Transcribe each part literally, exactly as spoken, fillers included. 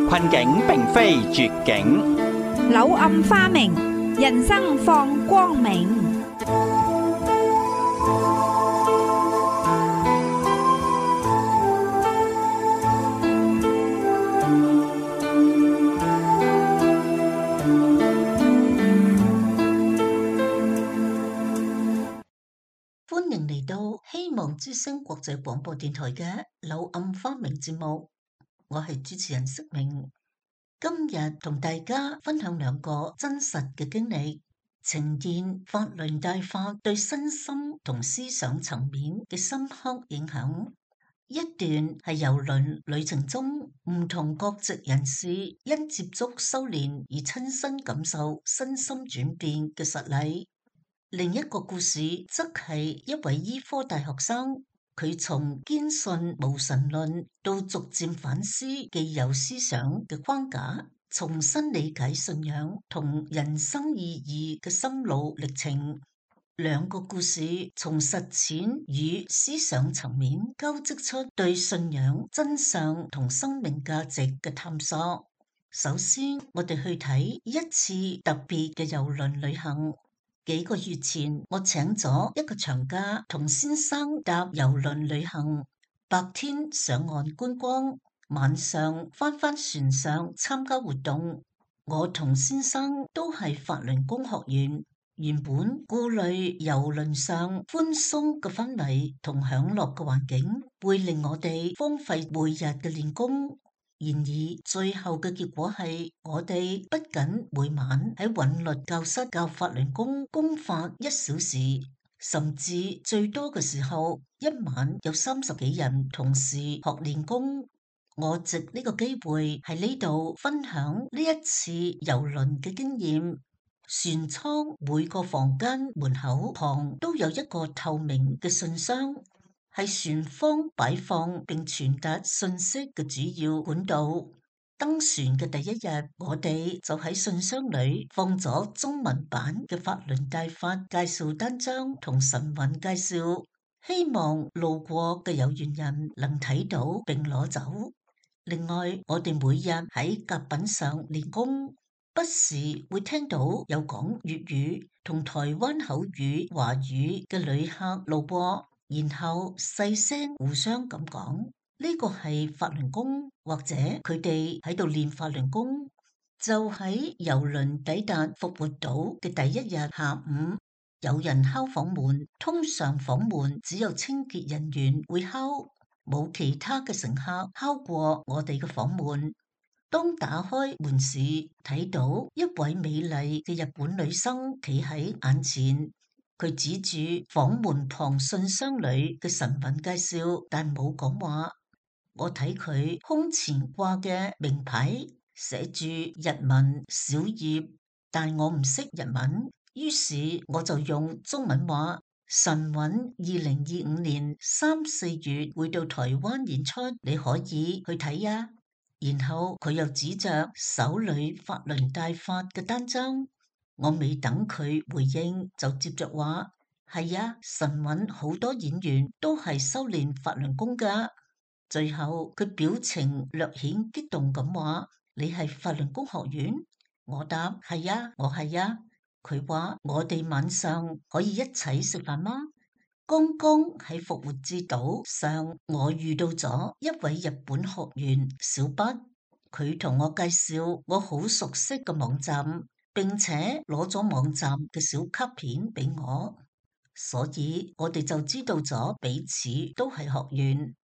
困境並非絕境，柳暗花明，人生放光明。歡迎嚟到希望之聲國際廣播電台嘅柳暗花明節目，我係主持人釋明。今日同大家分享兩個真實嘅經歷，呈現法輪大法對身心同思想層面嘅深刻影響。一段係郵輪旅程中唔同國籍人士因接觸修煉而親身感受身心轉變嘅實例。另一個故事則係一位醫科大學生，佢從堅信無神論到逐漸反思既有思想嘅框架，重新理解信仰同人生意義嘅心路歷程。兩個故事從實踐與思想層面交織出對信仰真相同生命價值嘅探索。首先，我哋去睇一次特別嘅郵輪旅行。幾個月前，我請咗一個長假同先生搭郵輪旅行，白天上岸觀光，晚上翻返船上參加活動。我同先生都係法輪功學員，原本顧慮郵輪上寬鬆嘅氛圍同享樂嘅環境會令我哋荒廢每日嘅練功。然而最後嘅結果係，我哋不僅每晚喺韻律教室教法輪功功法一小時，甚至最多嘅時候一晚有三十幾人同時學練功。我藉呢個機會喺呢度分享呢一次郵輪嘅經驗。船艙每個房間門口旁都有一個透明嘅信箱，係船方擺放並傳達信息嘅主要管道。登船嘅第一日，我哋就喺信箱裏放咗中文版嘅法輪大法介紹單張同神韻介紹，希望路過嘅有緣人能睇到並攞走。另外，我哋每日喺甲品上練功，不時會聽到有講粵語同台灣口語、華語嘅旅客路過，然後細聲互相咁講，呢個係法輪功，或者佢哋喺度練法輪功。就喺郵輪抵達復活島嘅第一日下午，有人敲房門，通常房門只有清潔人員會敲，冇其他嘅乘客敲過我哋嘅房門。當打開門時，睇到一位美麗嘅日本女生企喺眼前。佢指住房門旁信箱裏嘅神韻介紹，但冇講話。我睇佢胸前掛嘅名牌寫住日文小葉，但我唔識日文，於是我就用中文話：神韻二零二五年三四月會到台灣演出，你可以去睇呀。然後佢又指着手裏法輪大法嘅單張。我未等佢回應，就接着話：係啊，神韻好多演員都係修煉法輪功噶。最後佢表情略顯激動咁話：你係法輪功學院？我答：係啊，我係啊。佢話：我哋晚上可以一齊食飯嗎？剛剛喺復活節島上，我遇到咗一位日本學員小畢，佢同我介紹我好熟悉嘅網站，並且攞咗網站嘅小卡片俾我，所以我哋就知道咗彼此都係學員。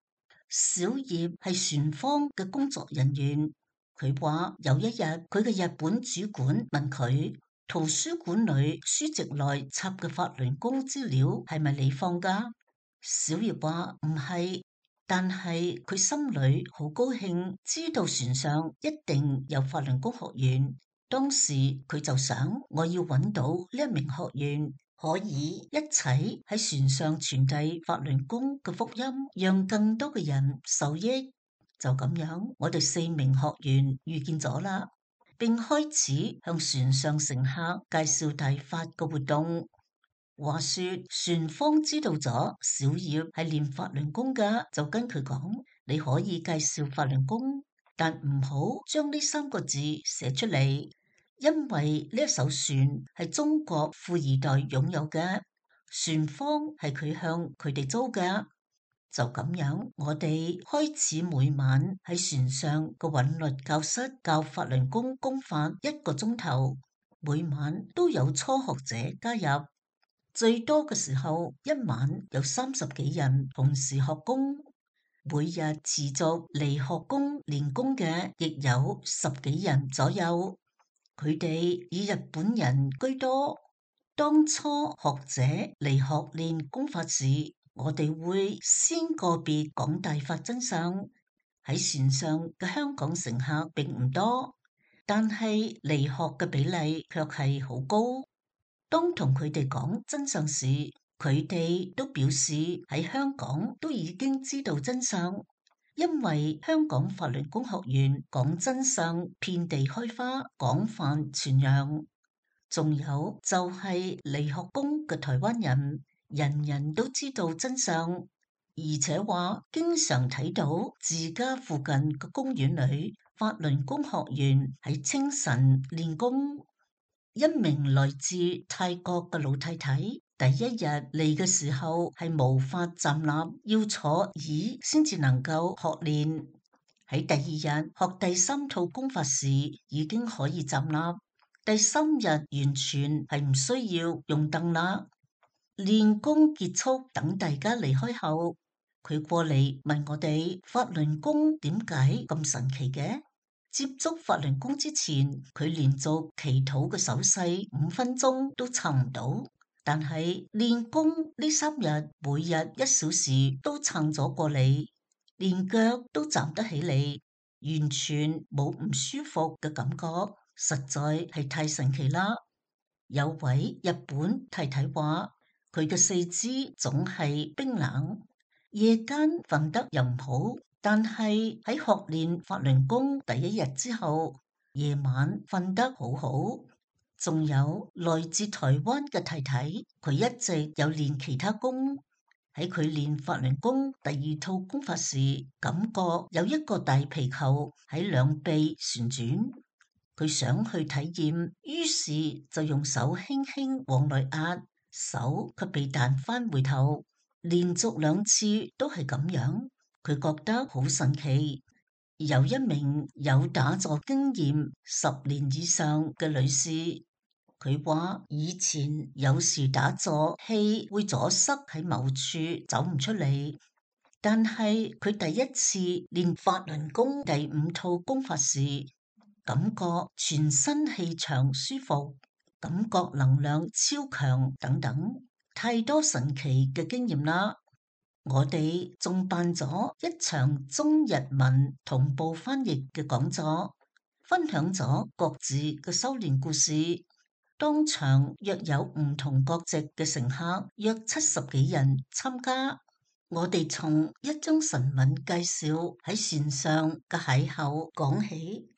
小葉係船方嘅工作人員，佢話有一日佢嘅日本主管問佢，圖書館裏書籍內插嘅法輪功資料係咪你放㗎？小葉話唔係，但係佢心裏好高興，知道船上一定有法輪功學員。當時佢就想，我要揾到呢一名學員，可以一齊喺船上傳遞法輪功嘅福音，讓更多嘅人受益。就咁樣，我哋四名學員遇見咗啦，並開始向船上乘客介紹大法嘅活動。話說船方知道咗小葉係練法輪功噶，就跟佢講，你可以介紹法輪功。但唔好將呢三個字寫出嚟，因為呢一艘船係中國富二代擁有嘅，船方係佢向佢哋租嘅。就咁樣，我哋開始每晚喺船上嘅韻律教室教法輪功功法一個鐘頭，每晚都有初學者加入，最多嘅時候一晚有三十幾人同時學功，每日持續嚟學功練功嘅亦有十幾人左右，佢哋以日本人居多。當初學者嚟學練功法時，我哋會先個別講大法真相。喺船上嘅香港乘客並唔多，但係嚟學嘅比例卻係好高。當同佢哋講真相時，佢哋都表示喺香港都已經知道真相，因為香港法輪功學院講真相遍地開花，廣泛傳揚。仲有就係嚟學功嘅台灣人，人人都知道真相，而且話經常睇到自家附近嘅公園裏法輪功學員喺清晨練功。一名來自泰國嘅老太太，第一日嚟嘅時候係無法站立，要坐椅先至能夠學練。喺第二日學第三套功法時，已經可以站立。第三日完全係唔需要用凳啦。練功結束，等大家離開後，佢過嚟問我哋法輪功點解咁神奇嘅？接觸法輪功之前，佢連續祈禱嘅手勢五分鐘都撐唔到，但係練功呢三日，每日一小時都撐咗過嚟，連腳都站得起嚟，完全冇唔舒服嘅感覺。實在係太神奇啦！有位日本太太話，佢嘅四肢總係冰冷，夜間瞓得又唔好，但係喺學練法輪功第一日之後，夜晚瞓得好好。仲有來自台灣嘅太太，佢一直有練其他功，喺佢練法輪功第二套功法時，感覺有一個大皮球喺兩臂旋轉。佢想去體驗，於是就用手輕輕往內壓，手卻被彈翻回頭，連續兩次都係咁樣，佢覺得好神奇。有一名有打坐經驗十年以上嘅女士，佢話以前有時打坐氣會阻塞喺某處走唔出嚟，但係佢第一次練法輪功第五套功法時，感覺全身氣場舒服，感覺能量超強等等，太多神奇嘅經驗啦！我哋仲辦咗一場中日文同步翻譯嘅講座，分享咗各自嘅修煉故事。當場約有唔同國籍嘅乘客約七十幾人參加。我哋從一張神文介紹喺船上嘅邂逅講起，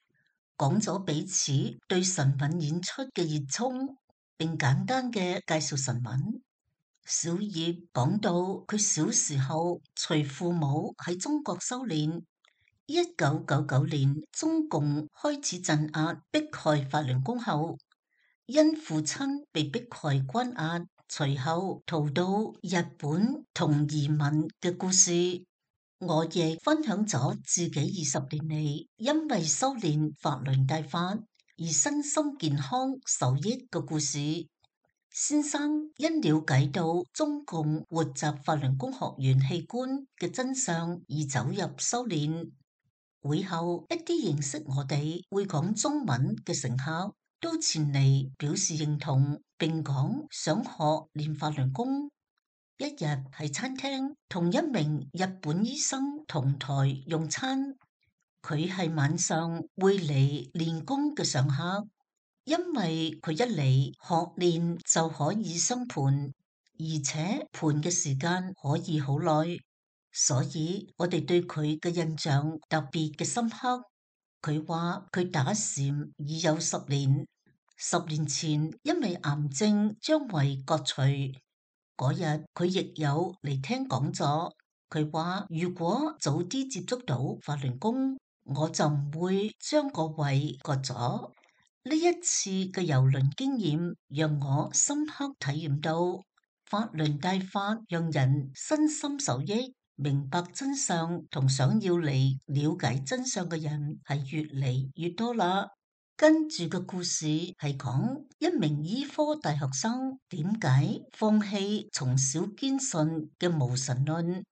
講咗彼此對神韻演出嘅熱衷，並簡單嘅介紹神韻。小葉講到佢小時候隨父母喺中國修煉，一九九九年中共開始鎮壓迫害法輪功後，因父親被迫害關押，隨後逃到日本同移民嘅故事。我亦分享咗自己二十年嚟因為修煉法輪大法而身心健康受益嘅故事。先生因了解到中共活習法輪功學員器官嘅真相而走入修煉。會後一啲認識我哋會講中文嘅乘客都前嚟表示認同，並講想學練法輪功。一日喺餐廳同一名日本醫生同台用餐，佢係晚上會嚟練功嘅常客，因為佢一嚟學練就可以生盤，而且盤嘅時間可以好耐，所以我哋對佢嘅印象特別嘅深刻。佢話佢打禪已有十年，十年前因為癌症將胃割除。嗰日佢亦有嚟聽講座，佢話如果早啲接觸到法輪功，我就唔會將個胃割咗。呢一次嘅郵輪經驗讓我深刻體驗到法輪大法讓人身心受益，明白真相同想要嚟了解真相嘅人係越嚟越多啦。跟住嘅故事係講一名醫科大學生點解放棄從小堅信嘅無神論。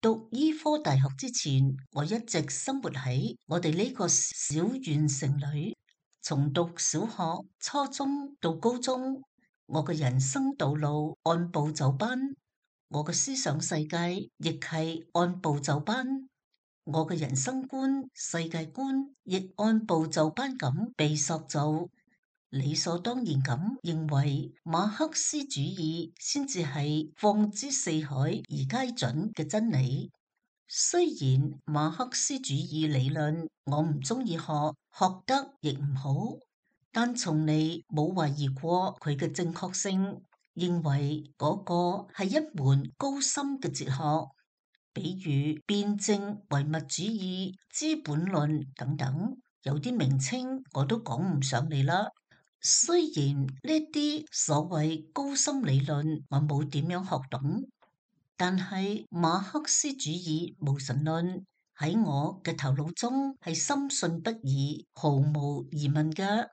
讀醫科大學之前，我一直生活喺我哋呢個小縣城裏，從讀小學、初中到高中，我嘅人生道路按部就班，我嘅思想世界亦係按部就班。我嘅人生觀、世界觀亦按部就班咁被塑造，理所當然咁認為馬克思主義先至係放之四海而皆準嘅真理。雖然馬克思主義理論我唔中意學，學得亦唔好，但從嚟冇懷疑過佢嘅正確性，認為嗰個係一門高深嘅哲學。比如辯證唯物主義、資本論等等，有啲名稱我都講唔上嚟啦。雖然呢啲所謂高深理論我冇點樣學懂，但係馬克思主義無神論喺我嘅頭腦中係深信不疑、毫無疑問嘅。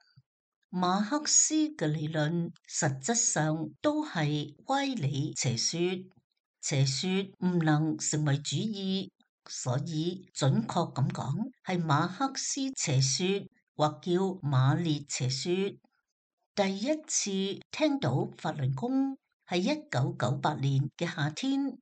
馬克思嘅理論實質上都係歪理邪說。邪說唔能成為主義，所以準確咁講係馬克思邪說，或叫馬列邪說。第一次聽到法輪功係一九九八年嘅夏天，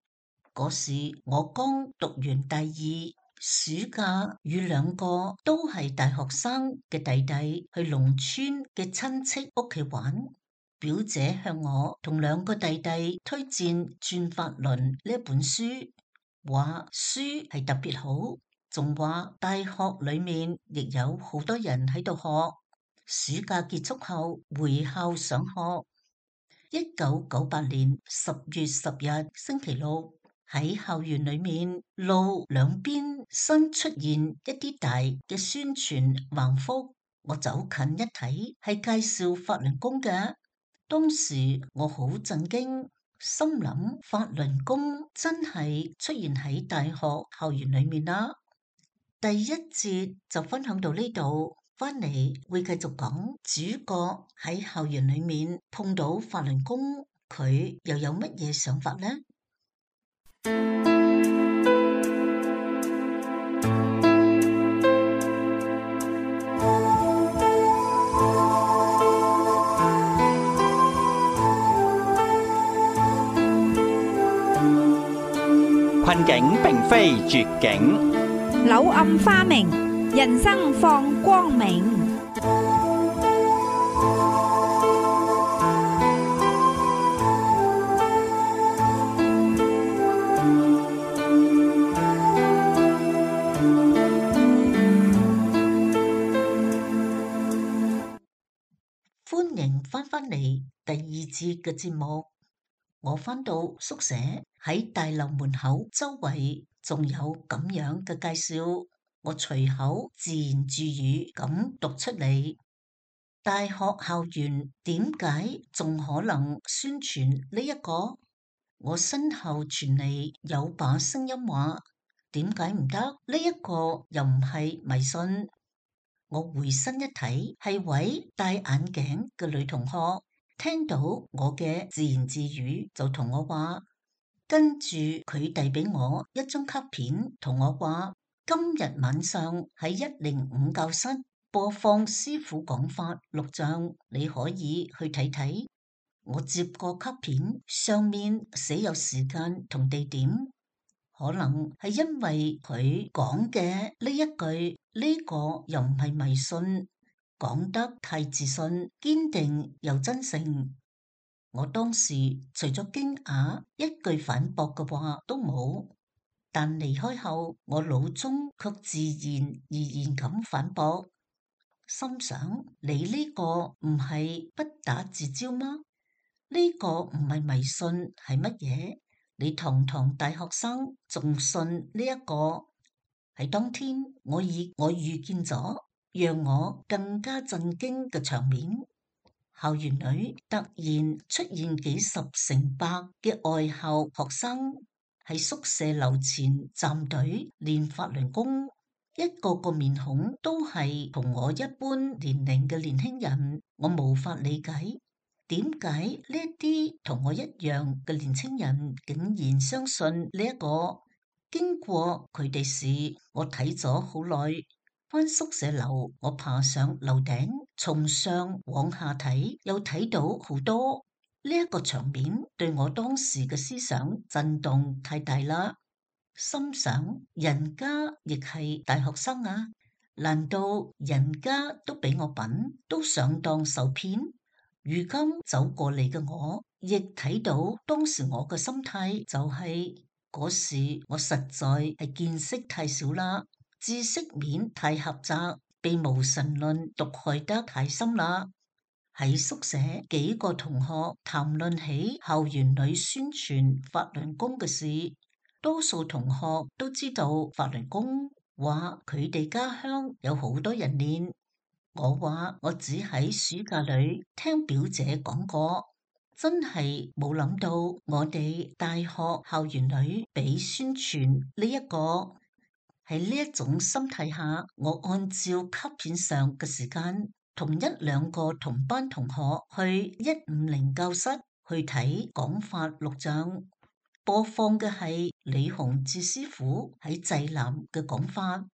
嗰時我剛讀完大二，暑假與兩個都係大學生嘅弟弟去農村嘅親戚屋企玩。表姐向我同兩個弟弟推薦《轉法輪》呢本書，話書係特別好，仲話大學裏面亦有好多人喺度學。暑假結束後回校上學。一九九八年十月十日星期六，喺校園裏面路兩邊新出現一啲大嘅宣傳橫幅，我走近一睇，係介紹法輪功嘅。當時我好震驚，心諗法輪功真係出現喺大學校園裏面啦。第一節就分享到呢度，翻嚟會繼續講主角喺校園裏面碰到法輪功，佢又有乜嘢想法呢？困境並非絕境，柳暗花明，人生放光明。歡迎翻返嚟第二節嘅節目。我返到宿舍，喺大樓門口周圍仲有咁樣嘅介紹，我隨口自言自語咁讀出嚟。大學校園點解仲可能宣傳呢一個？我身後傳嚟有把聲音話：點解唔得？呢一個又唔係迷信。我回身一睇，係位戴眼鏡嘅女同學。聽到我嘅自言自語，就同我話，跟住佢遞俾我一張卡片，同我話今日晚上喺一零五教室播放師父講法錄像，你可以去睇睇。我接過卡片，上面寫有時間同地點，可能係因為佢講嘅呢一句，呢個又唔係迷信，講得太自信、堅定又真誠。我當時除咗驚訝，一句反駁嘅話都冇。但離開後，我腦中卻自然而然咁反駁，心想：你呢個唔係不打自招嗎？呢個唔係迷信係乜嘢？你堂堂大學生仲信呢一個？喺當天，我以我遇見咗讓我更加震驚嘅場面。校園裏突然出現幾十成百嘅外校學生喺宿舍樓前站隊練法輪功，一個個面孔都係同我一般年齡嘅年輕人。我無法理解點解呢啲同我一樣嘅年輕人竟然相信呢一個。經過佢哋時，我睇咗好耐。返宿舍樓，我爬上樓頂，從上往下睇，又睇到好多。呢一個場面對我當時嘅思想震動太大啦。心想，人家亦係大學生啊，難道人家都比我笨，都上當受騙？如今走過嚟嘅我，亦睇到當時我嘅心態就係、是。嗰時我實在係見識太少啦，知識面太狹窄，被無神論毒害得太深啦。喺宿舍幾個同學談論起校園裏宣傳法輪功嘅事，多數同學都知道法輪功，話佢哋家鄉有好多人練。我話我只喺暑假裏聽表姐講過。真係冇諗到，我哋大學校園裏俾宣傳呢一個。喺呢一種心態下，我按照卡片上嘅時間，同一兩個同班同學去一五零教室去睇講法錄像，播放嘅係李洪志師傅喺濟南嘅講法。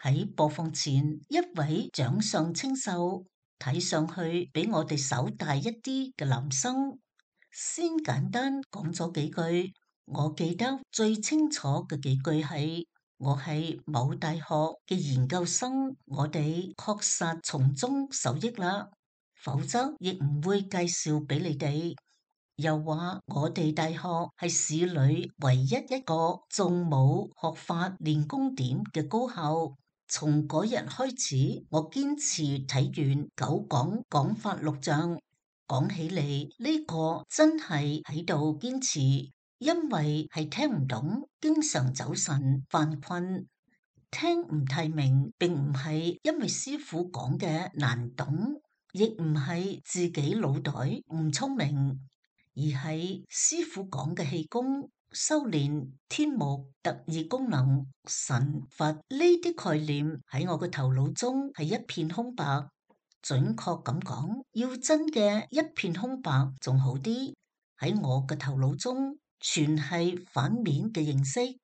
喺播放前，一位長相清秀，睇上去比我哋稍大一啲嘅男生，先簡單講咗幾句。我記得最清楚嘅幾句係：我係某大學嘅研究生，我哋確實從中受益啦，否則亦唔會介紹俾你哋。又話我哋大學係市裏唯一一個仲冇學法練功點嘅高校。從嗰日開始，我堅持睇完九講講法錄像。講起嚟呢個真係喺度堅持，因為係聽唔懂，經常走神犯困，聽唔太明，並唔係因為師傅講嘅難懂，亦唔係自己腦袋唔聰明，而係師傅講嘅氣功、修煉、天目、特異功能、神佛呢啲概念喺我嘅頭腦中係一片空白。準確咁講，要真嘅一片空白仲好啲。喺我嘅頭腦中，全係反面嘅認識，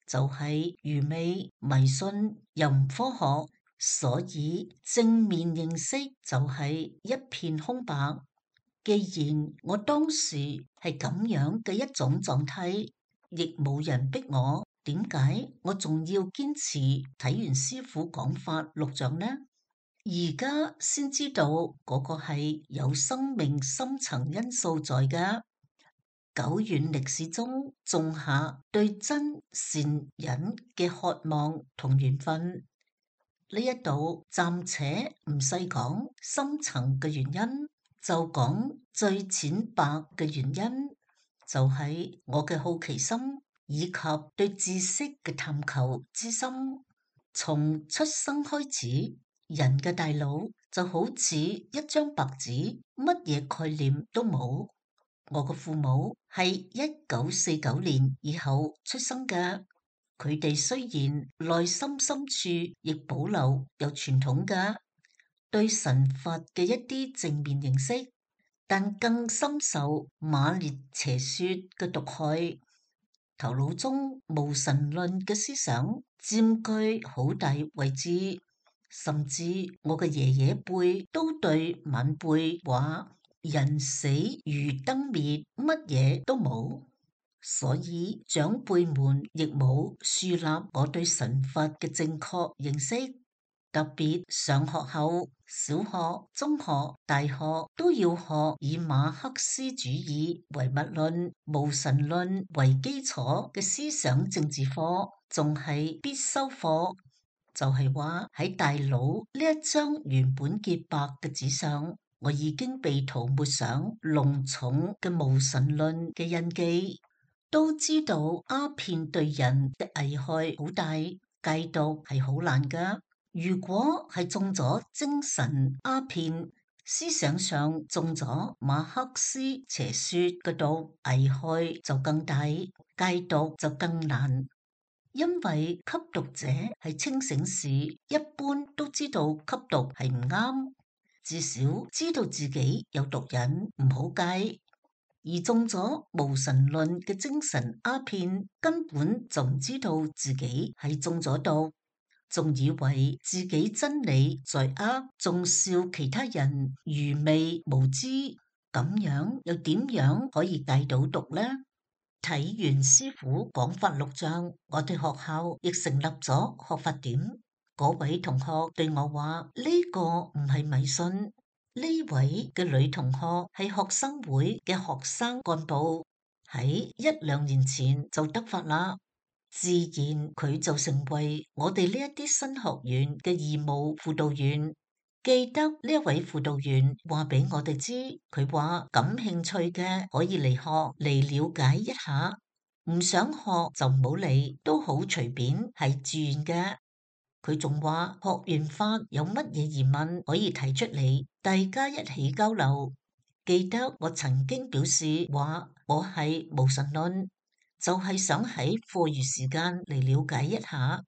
就係愚昧、迷信又唔科學。所以正面認識就係一片空白。既然我當時係咁樣嘅一種狀態，亦冇人逼我，點解我仲要堅持睇完師傅講法錄像呢？而家先知道嗰個係有生命深層因素在嘅。久遠歷史中種下對真善忍嘅渴望同緣分。呢一度暫且唔細講深層嘅原因，就講最淺白嘅原因，就係、是、我嘅好奇心以及對知識嘅探求之心。從出生開始，人嘅大腦就好似一張白紙，乜嘢概念都冇。我嘅父母係一九四九年以後出生嘅，佢哋雖然內心深處亦保留有傳統嘅對神佛嘅一啲正面認識，但更深受馬列邪說嘅毒害，頭腦中無神論嘅思想佔據好大位置。甚至我嘅爺爺輩都對晚輩話：人死如燈滅，乜嘢都冇。所以長輩們亦冇樹立我對神佛嘅正確認識。特別上學後，小學、中學、大學都要學以馬克思主義唯物論、無神論為基礎嘅思想政治課，仲係必修課。就係話喺大腦呢一張原本潔白嘅紙上，我已經被塗抹上濃重嘅無神論嘅印記。都知道鴉片對人嘅危害好大，戒毒係好難噶。如果係中咗精神鴉片，思想上中咗馬克思邪說嘅毒，危害就更大，戒毒就更難。因為吸毒者係清醒時，一般都知道吸毒係唔啱，至少知道自己有毒癮，唔好戒。而中咗無神論嘅精神鴉片，根本就唔知道自己係中咗毒，仲以為自己真理在握，仲笑其他人愚昧無知，咁樣又點樣可以戒到毒呢？睇完師傅講法錄像，我哋學校亦成立咗學法點。嗰位同學對我話：呢個唔係迷信。呢位嘅女同學係學生會嘅學生幹部，喺一兩年前就得法啦，自然佢就成為我哋呢一啲新學員嘅義務輔導員。記得呢一位輔導員話俾我哋知，佢話感興趣嘅可以嚟學嚟了解一下，唔想學就唔好嚟，都好隨便，係自願嘅。佢仲話學完法有乜嘢疑問可以提出嚟，大家一起交流。記得我曾經表示話我係無神論，就係想喺課餘時間嚟了解一下。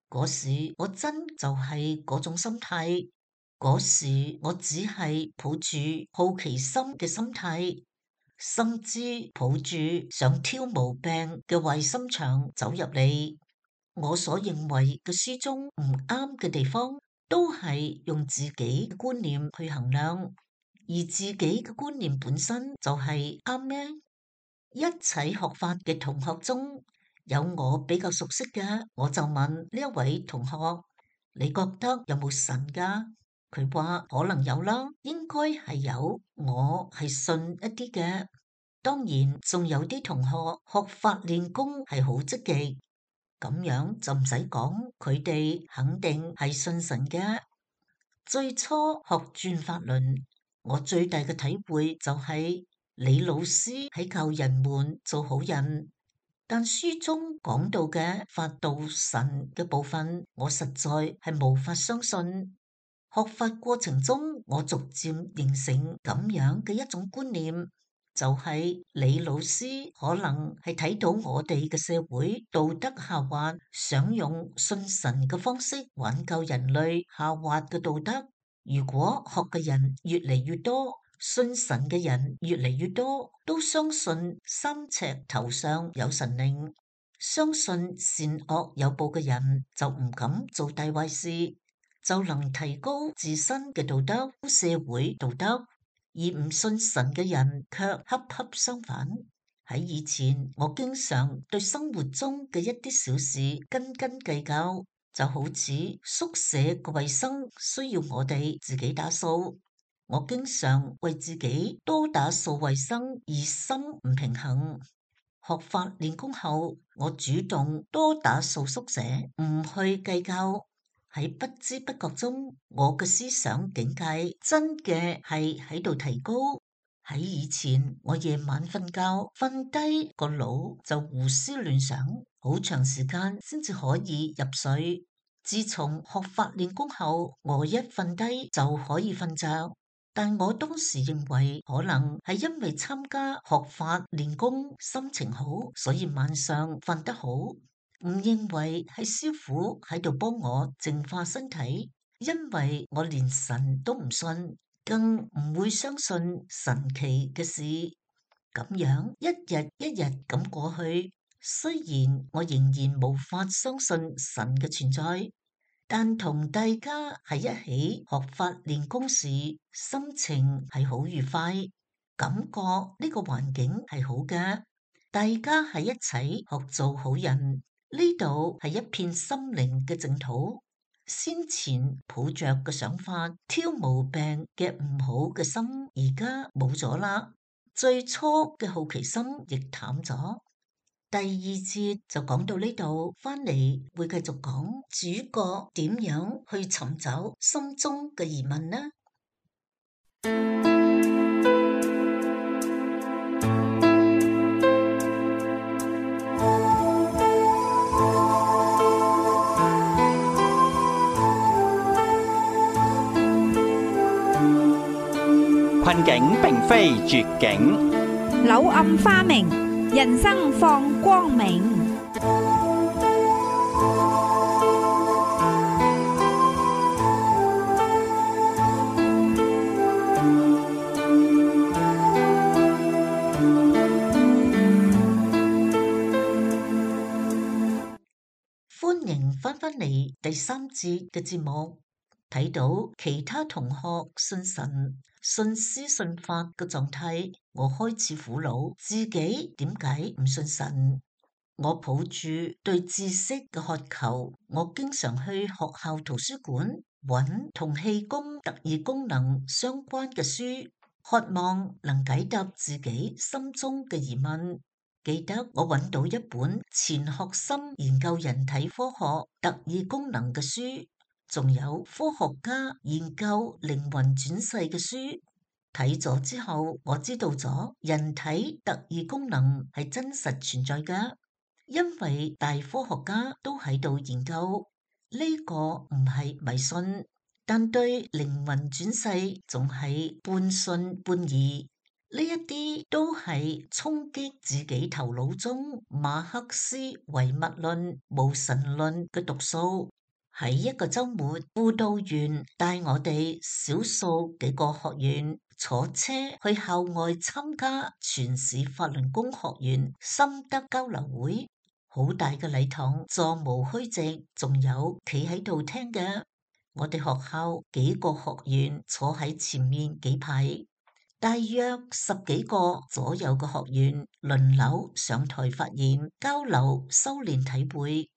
嗰時我真就係嗰種心態。嗰時我只係抱住好奇心嘅心態，甚至抱住想挑毛病嘅壞心腸走入嚟。我所認為嘅書中唔啱嘅地方，都係用自己嘅觀念去衡量，而自己嘅觀念本身就係啱咩？一齊學法嘅同學中有我比較熟悉嘅，我就問呢一位同學：你覺得有冇神㗎？佢話可能有啦，應該係有，我係信一啲嘅。當然仲有啲同學學法練功係好積極，咁樣就唔使講，佢哋肯定係信神嘅。最初學轉法輪，我最大嘅體會就係李老師喺教人們做好人，但書中講到嘅法度神嘅部分，我實在係無法相信。學法過程中，我逐漸形成咁樣嘅一種觀念，就係李老師可能係睇到我哋嘅社會道德下滑，想用信神嘅方式挽救人類下滑嘅道德。如果學嘅人越嚟越多，信神嘅人越嚟越多，都相信三尺頭上有神靈，相信善惡有報嘅人就唔敢做大壞事，就能提高自身嘅道德、社會道德，而唔信神嘅人卻恰恰相反。喺以前，我經常對生活中嘅一啲小事斤斤計較，就好似宿舍嘅衛生需要我哋自己打掃，我經常為自己多打掃衛生而心唔平衡。學法練功後，我主動多打掃宿舍，唔去計較。喺不知不覺中，我嘅思想境界真嘅係喺度提高。喺以前，我夜晚瞓覺，瞓低個腦就胡思亂想，好長時間先至可以入睡。自從學法練功後，我一瞓低就可以瞓着。但我當時認為，可能係因為參加學法練功，心情好，所以晚上瞓得好。唔認為係師傅喺度幫我淨化身體，因為我連神都唔信，更唔會相信神奇嘅事。咁樣一日一日咁過去，雖然我仍然無法相信神嘅存在，但同大家喺一起學法練功時，心情係好愉快，感覺呢個環境係好嘅，大家喺一齊學做好人。呢度係一片心靈嘅淨土，先前抱着嘅想法，挑毛病嘅唔好嘅心，而家冇咗啦。最初嘅好奇心亦淡咗。第二節就講到呢度，翻嚟會繼續講主角點樣去尋找心中嘅疑問呢？困境並非絕境，柳暗花明，人生放光明。歡迎翻返嚟第三節嘅節目。睇到其他同學信神、信師、信法嘅狀態，我開始苦惱自己點解唔信神。我抱住對知識嘅渴求，我經常去學校圖書館揾同氣功、特異功能相關嘅書，渴望能解答自己心中嘅疑問。記得我揾到一本錢學森研究人體科學特異功能嘅書，仲有科學家研究靈魂轉世嘅書。睇咗之後，我知道咗人體特異功能係真實存在嘅，因為大科學家都喺度研究。呢個唔係迷信，但對靈魂轉世仲係半信半疑。呢一啲都係衝擊自己頭腦中馬克思唯物論、無神論嘅毒素。喺一個周末，輔導員帶我哋少數幾個學員坐車去校外參加全市法輪功學員心得交流會。好大嘅禮堂，座無虛席，仲有企喺度聽嘅。我哋學校幾個學員坐喺前面幾排。大約十幾個左右嘅學員輪流上台發言、交流、修煉體會。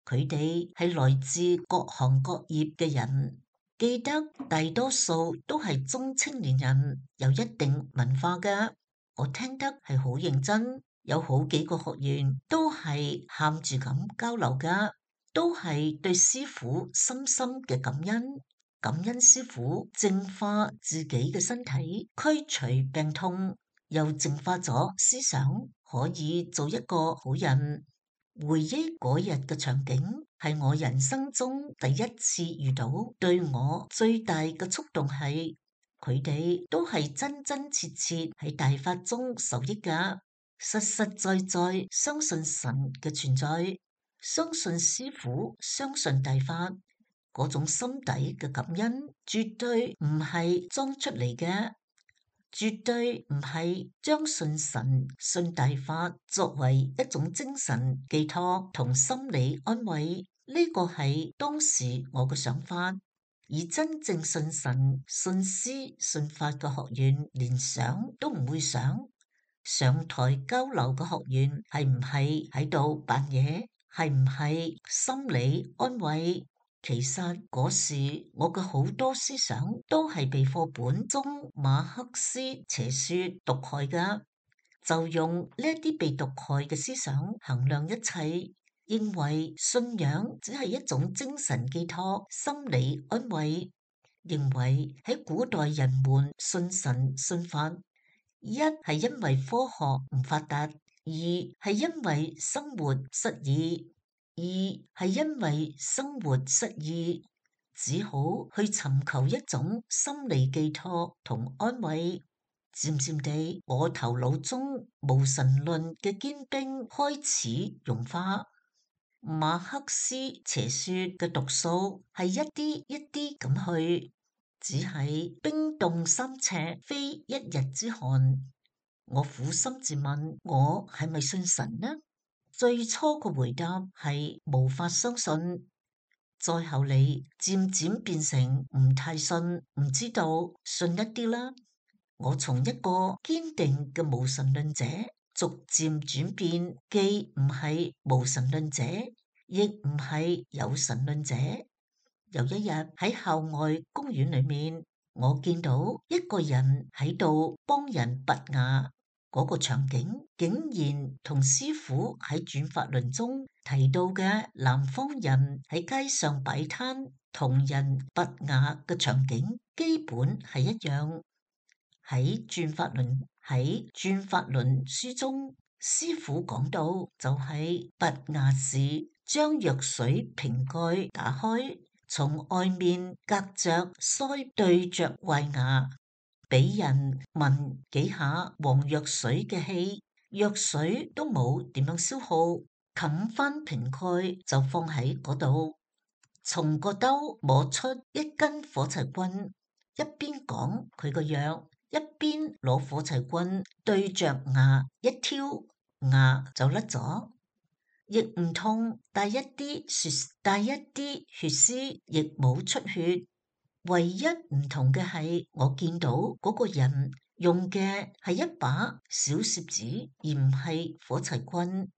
佢哋係來自各行各業嘅人，記得大多數都係中青年人，有一定文化嘅。我聽得係好認真，有好幾個學員都係喊住咁交流㗎，都係對師父深深嘅感恩。感恩師父淨化自己嘅身體，驅除病痛，又淨化咗思想，可以做一個好人。回憶嗰日嘅場景，係我人生中第一次遇到。對我最大嘅觸動係，佢哋都係真真切切喺大法中受益㗎，實實在在相信神嘅存在，相信師父，相信大法。嗰種心底嘅感恩，絕對唔係裝出嚟嘅，絕對唔係將信神、信大法作為一種精神寄託同心理安慰。呢個係當時我嘅想法，而真正信神、信師、信法嘅學員，連想都唔會想。上台交流嘅學員係唔係喺度扮嘢？係唔係心理安慰？其實嗰時我嘅好多思想都係被課本中馬克思邪說毒害㗎，就用呢一啲被毒害嘅思想衡量一切，認為信仰只係一種精神寄託、心理安慰，認為喺古代人們信神信法，一係因為科學唔發達，二係因為生活失意。二係因為生活失意，只好去尋求一種心理寄託同安慰。漸漸地，我頭腦中無神論嘅堅冰開始融化。馬克思邪說嘅毒素係一啲一啲咁去，只係冰凍三尺非一日之寒。我苦心自問，我係咪信神呢？最初個回答係無法相信，再後嚟漸漸變成唔太信，唔知道信一啲啦。我從一個堅定嘅無神論者，逐漸轉變，既唔係無神論者，亦唔係有神論者。有一日喺校外公園裏面，我見到一個人喺度幫人拔牙。嗰個場景竟然同師父喺轉法輪中提到嘅南方人喺街上擺攤同人拔牙嘅場景基本係一樣。喺轉法輪喺轉法輪書中，師父講到就係拔牙時將藥水瓶蓋打開，從外面隔着腮對着壞牙，俾人聞幾下黃藥水嘅氣，藥水都冇點樣消耗，冚翻瓶蓋就放喺嗰度，從個兜摸出一根火柴棍，一邊講佢個藥，一邊攞火柴棍對着牙一挑，牙就甩咗，亦唔痛，帶一啲血，帶一啲血絲，亦冇出血。唯一唔同嘅係，我見到嗰個人用嘅係一把小攝子，而唔係火柴棍。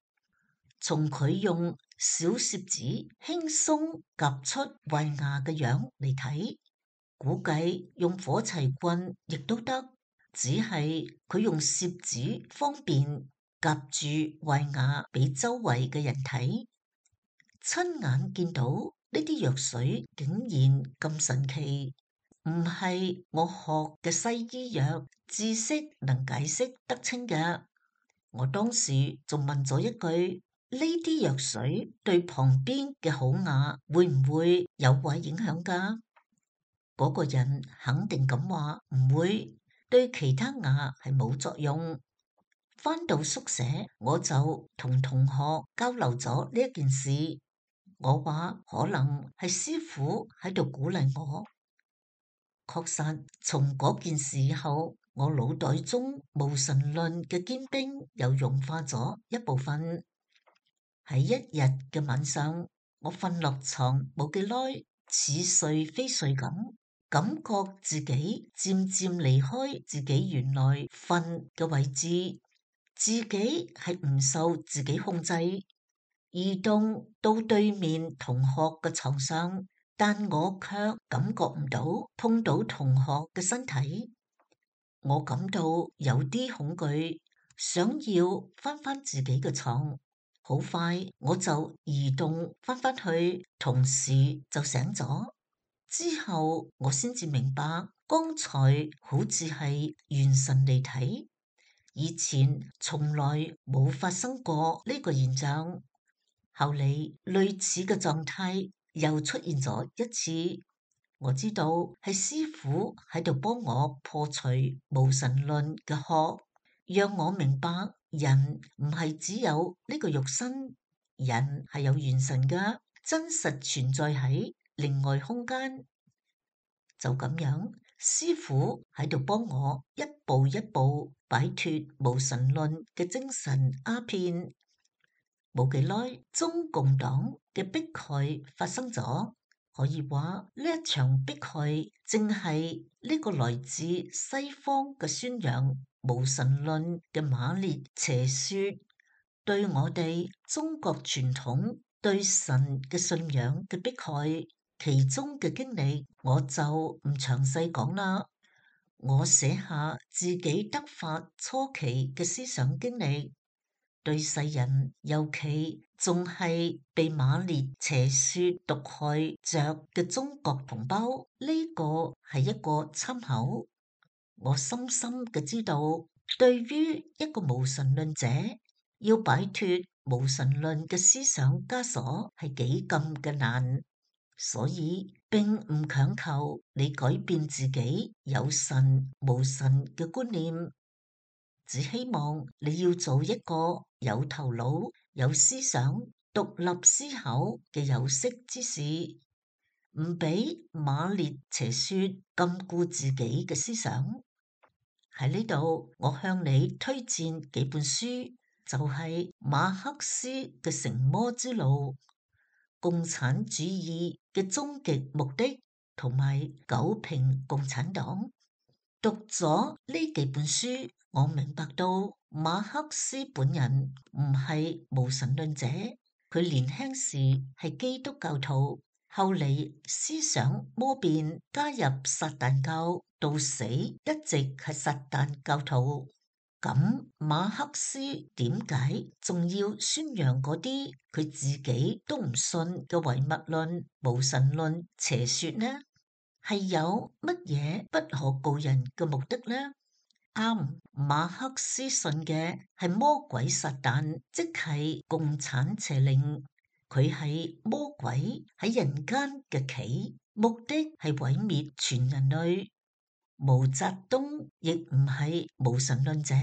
從佢用小攝子輕鬆夾出壞牙嘅樣嚟睇，估計用火柴棍亦都得，只係佢用攝子方便夾住壞牙俾周圍嘅人睇。親眼見到呢啲藥水竟然咁神奇，唔係我學嘅西醫藥知識能解釋得清嘅。我當時仲問咗一句：呢啲藥水對旁邊嘅好牙會唔會有壞影響㗎？嗰個人肯定咁話唔會，對其他牙係冇作用。返到宿舍，我就同同學交流咗呢一件事。我話可能係師傅喺度鼓勵我。確實，從嗰件事後，我腦袋中無神論嘅堅冰又融化咗一部分。喺一日嘅晚上，我瞓落床冇幾耐，似睡非睡咁，感覺自己漸漸離開自己原來瞓嘅位置，自己係唔受自己控制，移動到對面同學嘅床上，但我卻感覺唔到碰到同學嘅身體。我感到有啲恐懼，想要翻返自己嘅床。好快我就移動翻返去，同時就醒咗。之後我先至明白，剛才好似係元神嚟睇，以前從來冇發生過呢個現象。後嚟類似嘅狀態又出現咗一次，我知道係師傅喺度幫我破除無神論嘅殼，讓我明白人唔係只有呢個肉身，人係有元神嘅，真實存在喺另外空間。就咁樣，師傅喺度幫我一步一步擺脫無神論嘅精神鴉片。冇幾耐，中共黨嘅迫害發生咗，可以話呢一場迫害正係呢個來自西方嘅宣揚無神論嘅馬列邪說對我哋中國傳統對神嘅信仰嘅迫害，其中嘅經歷我就唔詳細講啦。我寫下自己得法初期嘅思想經歷。對世人，尤其仲係被馬列邪說毒害着嘅中國同胞，呢個係一個參考。我深深嘅知道，對於一個無神論者，要擺脫無神論嘅思想枷鎖係幾咁嘅難，所以並唔強求你改變自己有神無神嘅觀念。只希望你要做一個有頭腦、有思想、獨立思考嘅有識之士，唔俾馬列邪說禁錮自己嘅思想。喺呢度，我向你推薦幾本書，就係馬克思嘅《成魔之路》、共產主義嘅終極目的同埋《九評共產黨》。讀咗呢幾本書，我明白到馬克思本人唔係無神論者，佢年輕時係基督教徒，後嚟思想魔變，加入撒旦教，到死一直係撒旦教徒。咁馬克思點解仲要宣揚嗰啲佢自己都唔信嘅唯物論、無神論邪說呢？係有乜嘢不可告人嘅目的呢？啱，馬克思信嘅係魔鬼撒旦，即係共產邪靈。佢係魔鬼喺人間嘅棋，目的係毀滅全人類。毛澤東亦唔係無神論者，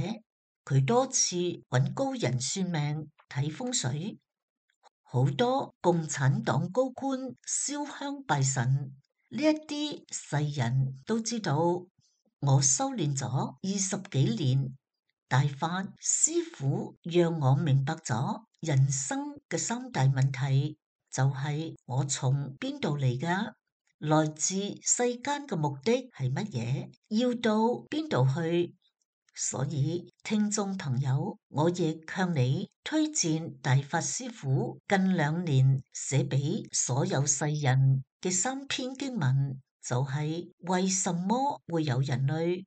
佢多次揾高人算命睇風水，好多共產黨高官燒香拜神，呢一啲世人都知道。我修煉咗二十幾年，大法師父讓我明白咗人生嘅三大問題，就係我從邊度嚟㗎？來自世間嘅目的係乜嘢？要到邊度去？所以聽眾朋友，我亦向你推薦大法師父近兩年寫俾所有世人嘅三篇經文，就係為什麼會有人類？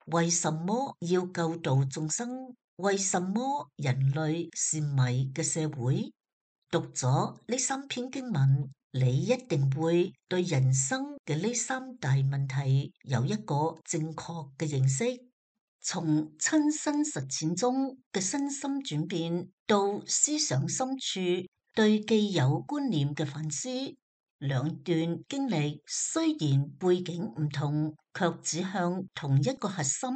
為什麼要救度眾生？為什麼人類是迷嘅社會？讀咗呢三篇經文，你一定會對人生嘅呢三大問題有一個正確嘅認識。從親身實踐中嘅身心轉變，到思想深處對既有觀念嘅反思，兩段經歷雖然背景唔同，卻指向同一個核心，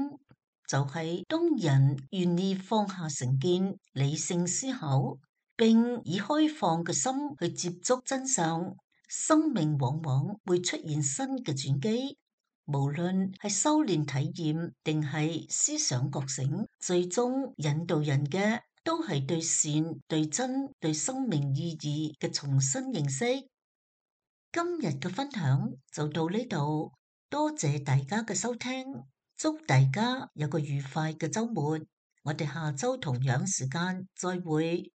就係、是、當人願意放下成見、理性思考，並以開放嘅心去接觸真相，生命往往會出現新嘅轉機。無論係修煉體驗定係思想覺醒，最終引導人嘅都係對善、對真、對生命意義嘅重新認識。今日嘅分享就到呢度，多謝大家嘅收聽，祝大家有個愉快嘅週末，我哋下週同樣時間再會。